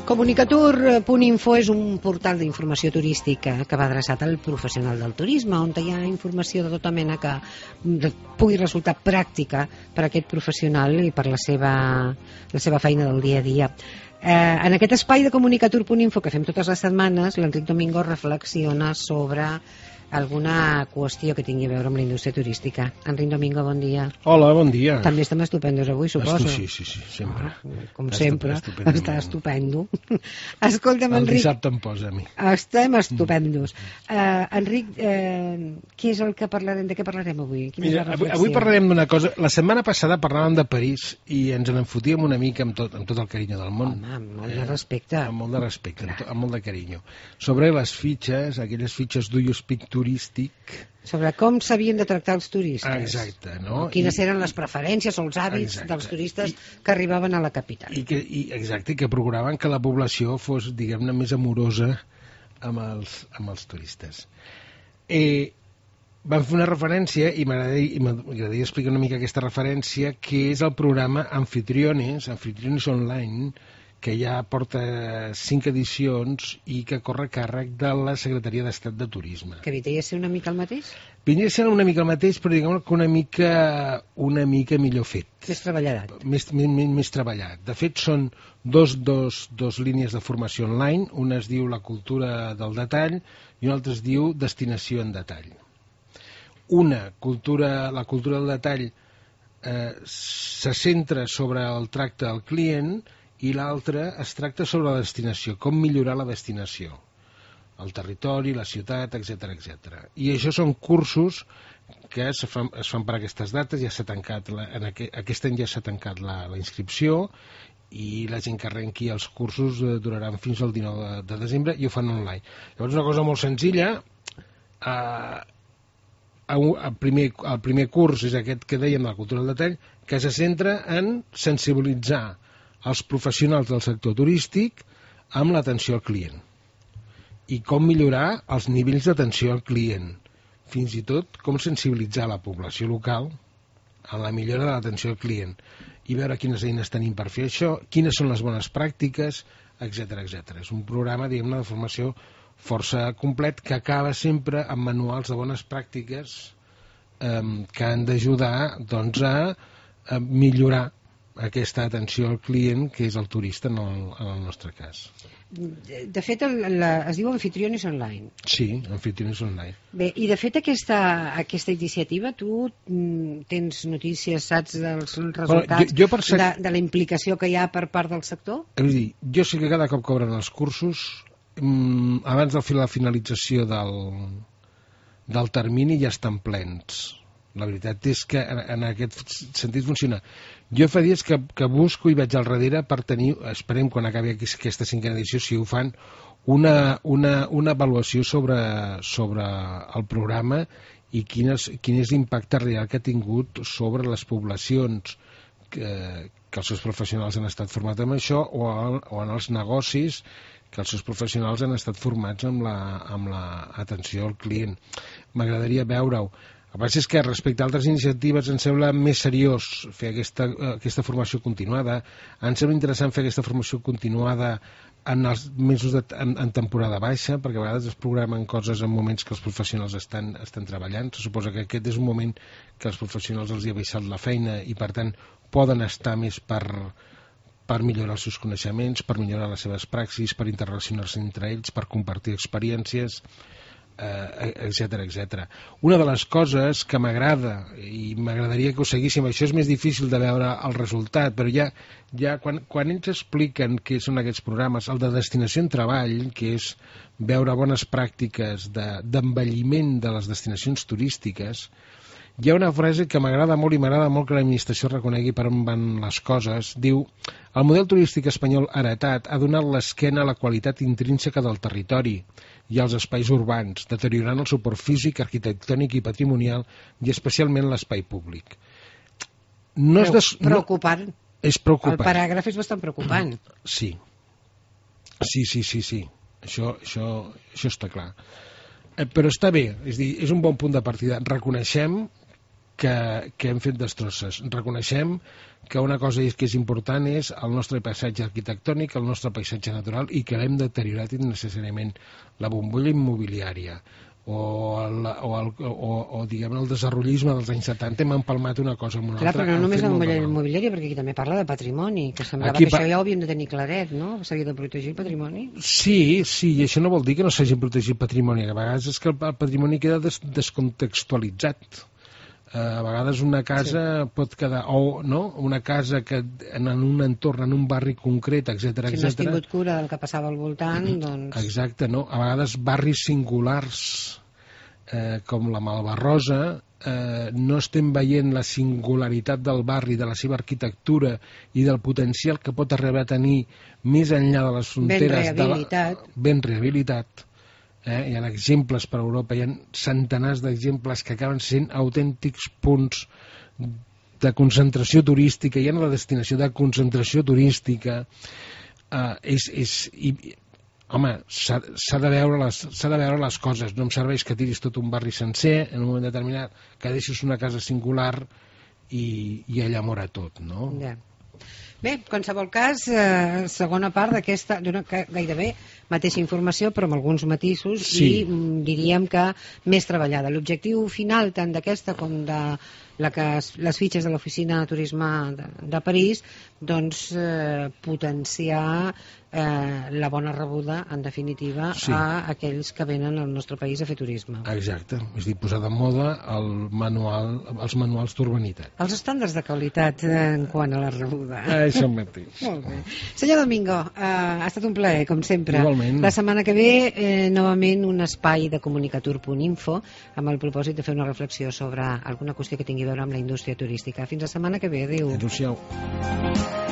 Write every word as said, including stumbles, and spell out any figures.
Comunicatur punt info és un portal d'informació turística que va adreçat al professional del turisme, on hi ha informació de tota mena que pugui resultar pràctica per a aquest professional i per la seva, la seva feina del dia a dia. Eh, en aquest espai de Comunicatur punt info que fem totes les setmanes, l'Enric Domingo reflexiona sobre alguna qüestió que tingui a veure amb la indústria turística. Enric Domingo, bon dia. Hola, bon dia. També estem estupendos avui, suposo. Sí, sí, sí, sempre. Ah, com sempre, està estupendo. Escolta'm, Enric... El dissabte em posa a mi. Estem estupendos. Mm. Uh, Enric, uh, què és el que parlarem? De què parlarem avui? Quina Mira, és la reflexió? Avui parlarem d'una cosa. La setmana passada parlàvem de París i ens en enfotíem una mica amb tot, amb tot el carinyo del món. Home, amb molt de respecte. Eh, amb molt de respecte, amb, amb molt de carinyo. Sobre les fitxes, aquelles fitxes do you speak turístic... Sobre com s'havien de tractar els turistes. Exacte, no? Quines I, eren les preferències o els hàbits exacte. dels turistes I, que arribaven a la capital. I que, i, exacte, i que procuraven que la població fos, diguem-ne, més amorosa amb els, amb els turistes. Eh, vam fer una referència, i m'agradaria, m'agradaria explicar una mica aquesta referència, que és el programa Anfitriones, Anfitriones Online, que ja porta cinc edicions i que corre a càrrec de la Secretaria d'Estat de Turisme. Que vindria a ser una mica el mateix? Vindria a ser una mica el mateix, però diguem que una mica, una mica millor fet. Més treballat. Més, més, més treballat. De fet, són dos, dos, dos línies de formació online. Una es diu la cultura del detall i una altra es diu destinació en detall. Una, cultura, la cultura del detall, eh, se centra sobre el tracte al client i l'altre es tracta sobre la destinació, com millorar la destinació, el territori, la ciutat, etcètera, etcètera. I això són cursos que es fan, es fan per aquestes dates, ja s'ha tancat, la, en aqu aquest any ja s'ha tancat la, la inscripció i la gent que arrenqui els cursos eh, duraran fins al dinou de, de desembre i ho fan online. Llavors una cosa molt senzilla, eh, el primer, el primer curs és aquest que dèiem de la cultura del detall, que se centra en sensibilitzar els professionals del sector turístic amb l'atenció al client i com millorar els nivells d'atenció al client, fins i tot com sensibilitzar la població local en la millora de l'atenció al client i veure quines eines tenim per fer això, quines són les bones pràctiques, etcètera, etcètera. És un programa, diguem-ne, de formació força complet que acaba sempre amb manuals de bones pràctiques eh, que han d'ajudar doncs, a, a millorar aquesta atenció al client que és el turista en el, en el nostre cas. De fet, el, la, es diu Anfitriones Online. Sí, Anfitriones Online. Bé, i de fet aquesta, aquesta iniciativa, tu mm, tens notícies, saps dels resultats, bueno, jo, jo ser... de, de la implicació que hi ha per part del sector? És a dir, jo sé que cada cop cobren els cursos, mm, abans de la finalització del, del termini ja estan plens. La veritat és que en, en aquest sentit funciona. Jo fa dies que, que busco i vaig al darrere per tenir, esperem quan acabi aquesta cinquena edició, si ho fan, una, una, una avaluació sobre, sobre el programa i quin és, quin és l'impacte real que ha tingut sobre les poblacions que, que els seus professionals han estat formats amb això o, el, o en els negocis que els seus professionals han estat formats amb la, amb la atenció al client. M'agradaria veure-ho. El que passa és que respecte a altres iniciatives em sembla més seriós fer aquesta, aquesta formació continuada, em sembla interessant fer aquesta formació continuada en els mesos de, en, en temporada baixa, perquè a vegades es programen coses en moments que els professionals estan, estan treballant. Se suposa que aquest és un moment que els professionals els hi ha baixat la feina i per tant poden estar més per, per millorar els seus coneixements, per millorar les seves praxis, per interrelacionar-se entre ells, per compartir experiències, etcètera, etcètera. Una de les coses que m'agrada i m'agradaria que ho seguíssim, això és més difícil de veure el resultat, però ja, ja quan, quan ells expliquen què són aquests programes, el de destinació en treball, que és veure bones pràctiques d'envelliment de, de les destinacions turístiques, hi ha una frase que m'agrada molt i m'agrada molt que l'administració reconegui per on van les coses. Diu, el model turístic espanyol heretat ha donat l'esquena a la qualitat intrínseca del territori i als espais urbans, deteriorant el suport físic, arquitectònic i patrimonial i especialment l'espai públic. No és des... Preocupant. No... És preocupant. El paràgraf és bastant preocupant. Sí. Sí, sí, sí, sí. Això, això, això està clar. Eh, però està bé, és dir, és un bon punt de partida. Reconeixem que, que hem fet destrosses. Reconeixem que una cosa és que és important és el nostre paisatge arquitectònic, el nostre paisatge natural, i que l'hem deteriorat innecessàriament. La bombolla immobiliària o el, o el, o, o diguem el desenvolupisme dels anys setanta hem empalmat una cosa amb una Clar, altra. Però no només la bombolla immobiliària, perquè aquí també parla de patrimoni, que semblava aquí que pa... això ja ho havíem de tenir claret, no? S'havia de protegir el patrimoni. Sí, sí, i això no vol dir que no s'hagi protegit el patrimoni. A vegades és que el patrimoni queda des descontextualitzat. A vegades una casa sí. pot quedar, o no, una casa que en un entorn, en un barri concret, etcètera, etcètera. Si no has tingut cura del que passava al voltant, doncs... Exacte, no? A vegades barris singulars, eh, com la Malvarrosa, eh, no estem veient la singularitat del barri, de la seva arquitectura i del potencial que pot arribar a tenir més enllà de les fronteres... Ben rehabilitat. De la... Ben rehabilitat. Eh? Hi ha exemples per Europa, hi ha centenars d'exemples que acaben sent autèntics punts de concentració turística, hi ha la destinació de concentració turística. Eh, és, és, i, home, s'ha de, veure les, s'ha de veure les coses, no em serveix que tiris tot un barri sencer en un moment determinat, que deixis una casa singular i, i allà mora tot, no? Ja. Bé, en qualsevol cas, eh, segona part d'aquesta, d'una gairebé mateixa informació, però amb alguns matisos, sí. I mm, diríem que més treballada. L'objectiu final, tant d'aquesta com de la que es, les fitxes de l'Oficina de Turisme de, de París, doncs eh, potenciar eh, la bona rebuda, en definitiva, sí. A aquells que venen al nostre país a fer turisme. Exacte, és dir, posar de moda el manual, els manuals d'urbanitat. Els estàndards de qualitat eh, en quant a la rebuda. Això mateix. Molt bé. Senyor Domingo, eh, ha estat un plaer, com sempre. Igualment. La setmana que ve, eh, novament, un espai de comunicatur punt info amb el propòsit de fer una reflexió sobre alguna qüestió que tingui a veure amb la indústria turística. Fins la setmana que ve. Adéu. Adéu-siau.